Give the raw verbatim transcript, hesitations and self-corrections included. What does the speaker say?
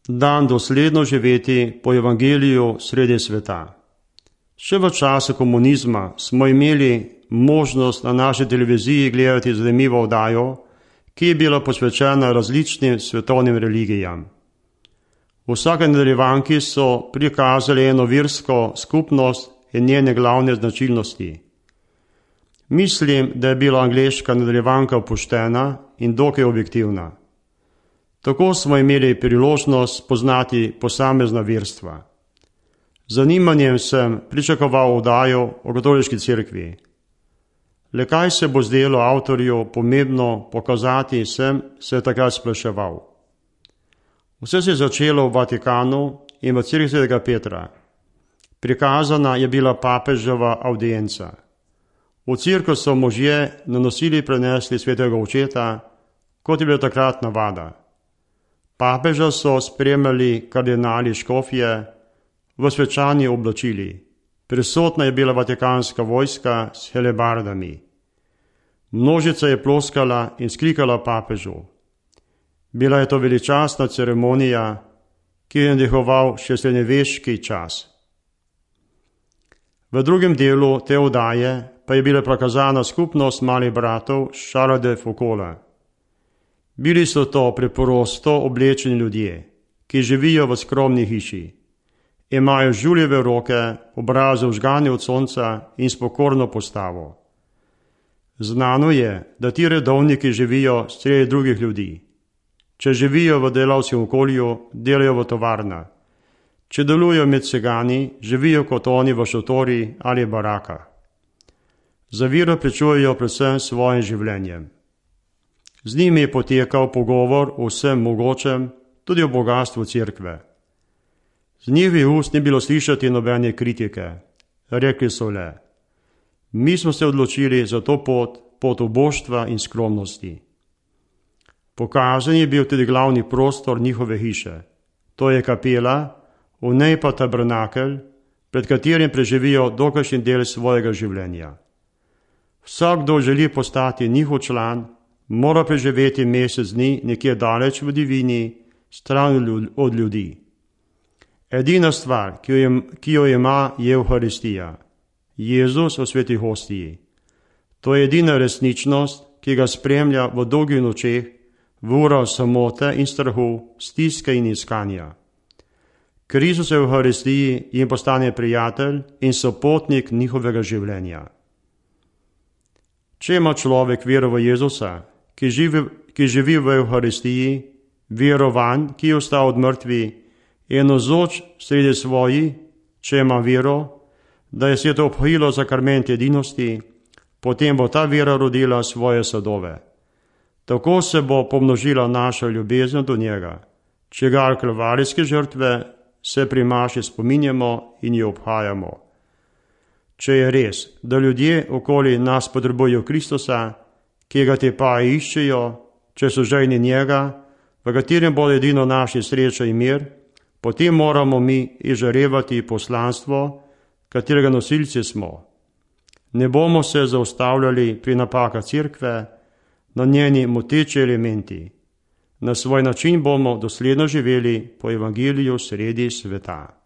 dan dosledno živeti po evangeliju sredi sveta. Še v času komunizma smo imeli možnost na naši televiziji gledati zanimivo oddajo, ki je bila posvečena različnim svetovnim religijam. V vsake nadaljevanki so prikazali eno versko skupnost in njene glavne značilnosti. Mislim, da je bila angleška nadaljevanka poštena in dokaj objektivna. Tako smo imeli priložnost spoznati posamezna verstva. Z zanimanjem sem pričakoval oddajo o katoliški cerkvi. Le kaj se bo zdelo avtorju pomembno pokazati, sem se takrat spraševal. Vse se je začelo v Vatikanu in v cerkvi svetega Petra. Prikazana je bila papeževa avdienca. V cerkev so možje na nosilih prenesli svetega očeta, kot je bila takrat navada. Papeža so spremljali kardinali škofje v svečani oblačili. Prisotna je bila vatikanska vojska s helebardami. Množica je ploskala in skrikala papežu. Bila je to veličastna ceremonija, ki je nadihoval še srednjeveški čas. V drugem delu te oddaje pa je bila prikazana skupnost malih bratov Charlesa de Foucaulta. Bili so to preprosto oblečeni ljudje, ki živijo v skromni hiši. Imajo žuljeve roke, obraze vžgani od sonca in s pokorno postavo. Znano je, da ti redovniki živijo sredi drugih ljudi. Če živijo v delavskem okolju, delajo v tovarnah. Če delujejo med cigani, živijo kot oni v šotori ali barakah. Za vero pričujejo predvsem svojim življenjem. Z njimi je potekal pogovor o vsem mogočem, tudi o bogastvu cerkve. Z njihovih ust ni bilo slišati nobene kritike. Rekli so le: mi smo se odločili za to pot, pot oboštva in skromnosti. Pokazan je bil tudi glavni prostor njihove hiše. To je kapela, v njej pa tabernakelj, pred katerim preživijo dokajšnji del svojega življenja. Vsak, kdo želi postati njihov član, mora preživeti mesec dni nekje daleč v divini, stran od ljudi. Edina stvar, ki jo, ki jo ima, je Evharistija. Jezus v sveti hostiji. To je edina resničnost, ki ga spremlja v dolgih nočeh, v urah samote in strahu, stiske in iskanja. Kristus v Evharistiji jim postane prijatelj in sopotnik njihovega življenja. Če ima človek vero v Jezusa, ki živi, ki živi v Evharistiji, verovan, ki je ostal od mrtvi, je navzoč sredi svoji, če ima vero, da je sveto obhajilo sakrament edinosti, potem bo ta vera rodila svoje sadove. Tako se bo pomnožila naša ljubezen do njega, čigar kalvarijske žrtve se pri maši spominjamo in jo obhajamo. Če je res, da ljudje okoli nas potrebujejo Kristusa, ki ga te pa iščejo, če so žejni njega, v katerem bo edino naši sreča in mir, potem moramo mi izžarevati poslanstvo, katerega nosilci smo. Ne bomo se zaustavljali pri napakah cerkve, na njeni moteči elementi. Na svoj način bomo dosledno živeli po evangeliju sredi sveta.